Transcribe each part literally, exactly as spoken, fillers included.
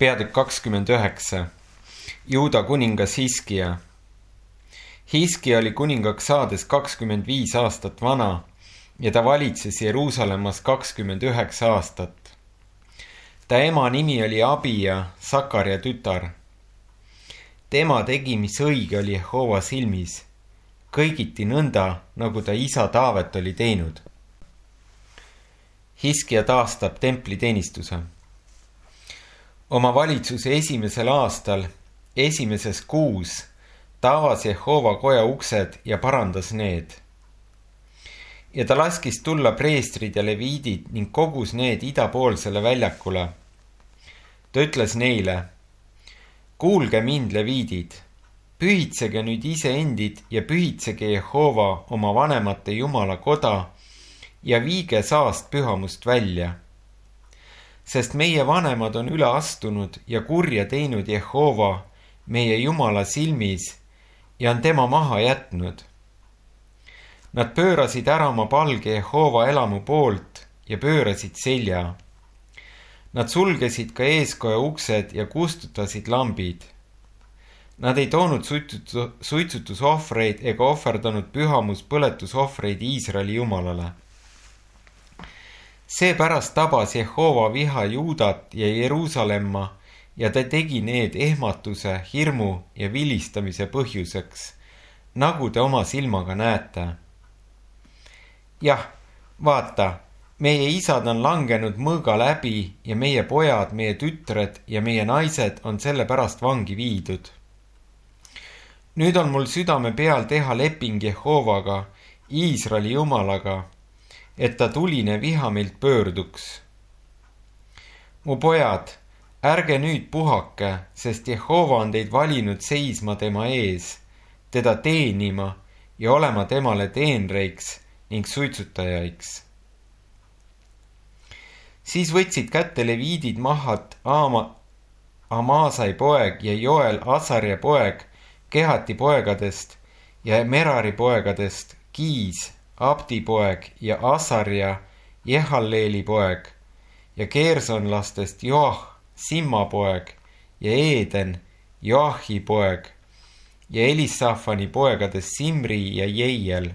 Peatükk kakskümmend üheksa. Juuda kuningas Hiskia. Hiskia oli kuningaks saades kakskümmend viis aastat vana ja ta valitses Jeruusalemmas kakskümmend üheksa aastat. Ta ema nimi oli Abija, Sakarja tütar. Tema tegi, mis õige oli Jehova silmis, kõigiti nõnda, nagu ta isa Taavet oli teinud. Hiskia taastab templiteenistuse. Oma valitsuse esimesel aastal, esimeses kuus, ta avas Jehova koja uksed ja parandas need. Ja ta laskis tulla preestrid ja leviidid ning kogus need idapoolsele väljakule. Ta ütles neile, kuulge mind, leviidid, pühitsege nüüd iseendid ja pühitsege Jehova oma vanemate Jumala koda ja viige saast pühamust välja. Sest meie vanemad on üle astunud ja kurja teinud Jehova meie Jumala silmis ja on tema maha jätnud. Nad pöörasid ära oma palge Jehova elamu poolt ja pöörasid selja. Nad sulgesid ka eeskoja uksed ja kustutasid lambid. Nad ei toonud suitsutusohvreid ega ohverdanud pühamus põletusohvreid Iisraeli Jumalale. Seepärast tabas Jehova viha Juudat ja Jeruusalemma ja ta tegi need ehmatuse, hirmu ja vilistamise põhjuseks, nagu te oma silmaga näete. Jah, vaata, meie isad on langenud mõõga läbi ja meie pojad, meie tütred ja meie naised on selle pärast vangi viidud. Nüüd on mul südame peal teha leping Jehovaga, Iisraeli Jumalaga, et ta tuline viha meilt pöörduks. Mu pojad, ärge nüüd puhake, sest Jehova on teid valinud seisma tema ees, teda teenima ja olema temale teenreiks ning suitsutajaiks. Siis võtsid kätte leviidid Mahat, Ama, Amasai poeg ja Joel Asarja poeg, Kehati poegadest ja Merari poegadest, Kiis, Abdi poeg ja Asarja, Jehalleeli poeg ja Kersonlastest Joah, Simma poeg ja Eeden, Joahi poeg ja Elisafani poegadest Simri ja Jeiel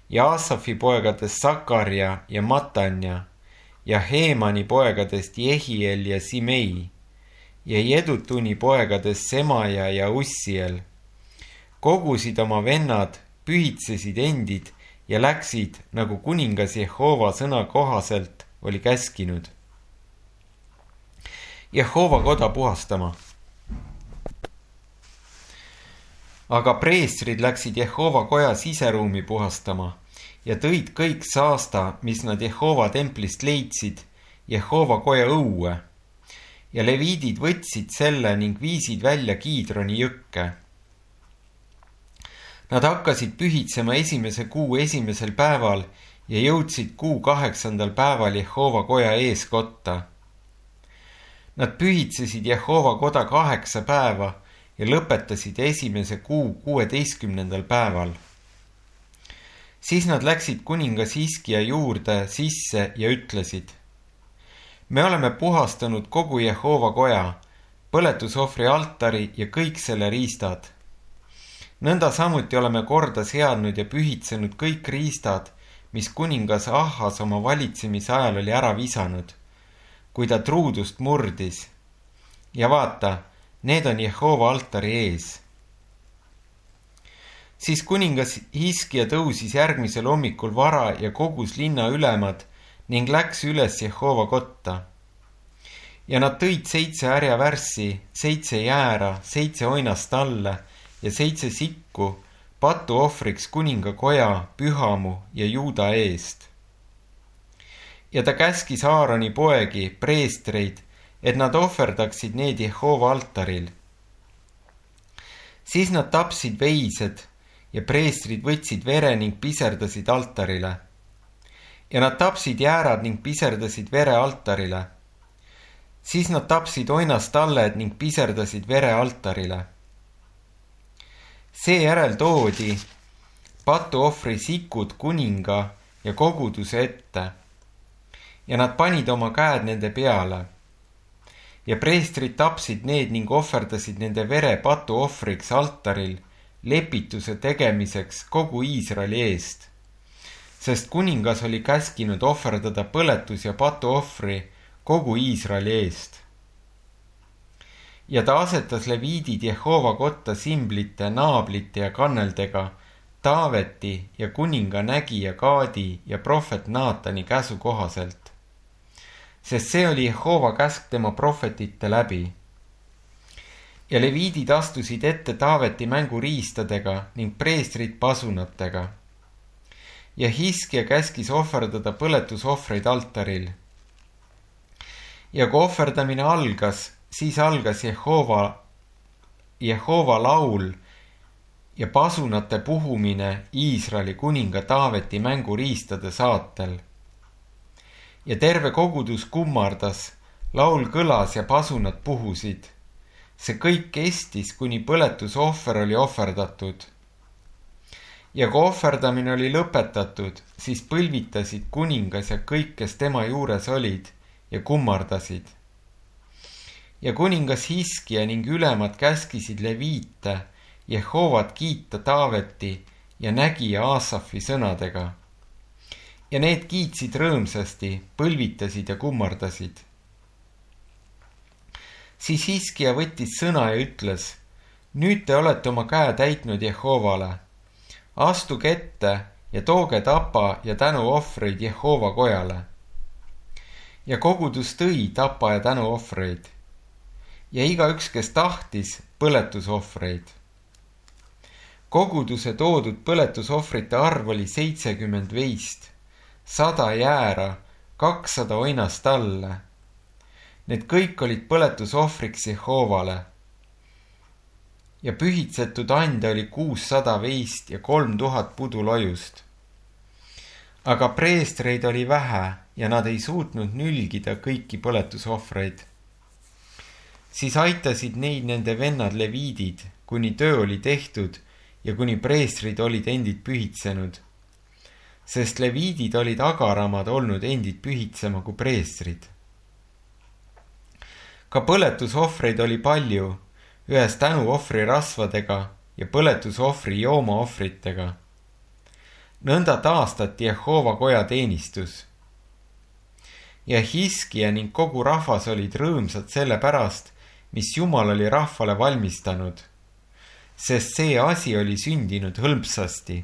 ja Asafi poegadest Sakarja ja Matanja ja Heemani poegadest Jehiel ja Simei ja Jedutuni poegadest Semaja ja Ussiel. Kogusid oma vennad, pühitsesid endid ja läksid, nagu kuningas Jehova sõna kohaselt oli käskinud. Jehova koda puhastama. Aga preestrid läksid Jehova koja siseruumi puhastama ja tõid kõik saasta, mis nad Jehova templist leidsid, Jehova koja õue. Ja leviidid võtsid selle ning viisid välja Kiidroni jõkke. Nad hakkasid pühitsema esimese kuu esimesel päeval ja jõudsid kuu kaheksandal päeval Jehova koja ees kotta. Nad pühitsesid Jehova koda kaheksa päeva ja lõpetasid esimese kuu kuueteistkümnendal päeval. Siis nad läksid kuningas Hiskia juurde sisse ja ütlesid, me oleme puhastanud kogu Jehova koja, põletusohvri altari ja kõik selle riistad. Nõnda samuti oleme korda seadnud ja pühitsenud kõik riistad, mis kuningas Ahas oma valitsemise ajal oli ära visanud, kui ta truudust murdis. Ja vaata, need on Jehova altari ees. Siis kuningas Hiskia tõusis järgmisel hommikul vara ja kogus linna ülemad ning läks üles Jehova kotta. Ja nad tõid seitse härjavärssi, seitse jäära, seitse oinast talle ja seitse sikku patu ohvriks kuninga koja, pühamu ja Juuda eest. Ja ta käskis Aaroni poegi, preestreid, et nad ohverdaksid need Jehova altaril. Siis nad tapsid veised ja preestrid võtsid vere ning piserdasid altarile. Ja nad tapsid jäärad ning piserdasid vere altarile. Siis nad tapsid oinastalled ning piserdasid vere altarile. Seejärel toodi patuohvri sikud kuninga ja koguduse ette ja nad panid oma käed nende peale ja preestrid tapsid need ning ohverdasid nende vere patuohvriks altaril lepituse tegemiseks kogu Iisraeli eest, sest kuningas oli käskinud ohverdada põletus- ja patuohvri kogu Iisraeli eest. Ja ta asetas leviidid Jehova kotta simblite, naablite ja kanneldega Taaveti ja kuninga nägija Gaadi ja prohvet Naatani käsu kohaselt, sest see oli Jehova käsk tema prohvetite läbi. Ja leviidid astusid ette Taaveti mänguriistadega ning preestrid pasunatega. Ja Hiskia käskis ohverdada põletusohvreid altaril. Ja kui ohverdamine algas, siis algas Jehova, Jehova laul ja pasunate puhumine Iisraeli kuninga Taaveti mänguriistade saatel. Ja terve kogudus kummardas, laul kõlas ja pasunad puhusid. See kõik kestis, kuni põletusohver oli ohverdatud. Ja kui ohverdamine oli lõpetatud, siis põlvitasid kuningas ja kõik, kes tema juures olid, ja kummardasid. Ja kuningas Hiskia ning ülemad käskisid leviite Jehovat kiita Taaveti ja nägija Aasafi sõnadega. Ja need kiitsid rõõmsasti, põlvitasid ja kummardasid. Siis Hiskia võttis sõna ja ütles, nüüd te olete oma käe täitnud Jehovale. Astuge ette ja tooge tapa ja tänuohvreid Jehova kojale. Ja kogudus tõi tapa ja tänuohvreid. Ja igaüks, kes tahtis, põletusohvreid. Koguduse toodud põletusohvrite arv oli seitsekümmend veist, sada jäära, kakssada oinast talle. Need kõik olid põletusohvriks Jehovale. Ja pühitsetud ande oli kuussada veist ja kolm tuhat pudulojust. Aga preestreid oli vähe ja nad ei suutnud nülgida kõiki põletusohvreid. Siis aitasid neid nende vennad leviidid, kuni töö oli tehtud ja kuni preestrid olid endid pühitsenud, sest leviidid olid agaramad olnud endid pühitsema kui preestrid. Ka põletusohvreid oli palju, ühes tänuohvri rasvadega ja põletusohvri joomaohvritega. Nõnda taastati Jehova koja teenistus. Ja Hiskia ning kogu rahvas olid rõõmsad selle pärast, mis Jumal oli rahvale valmistanud, sest see asi oli sündinud hõlpsasti.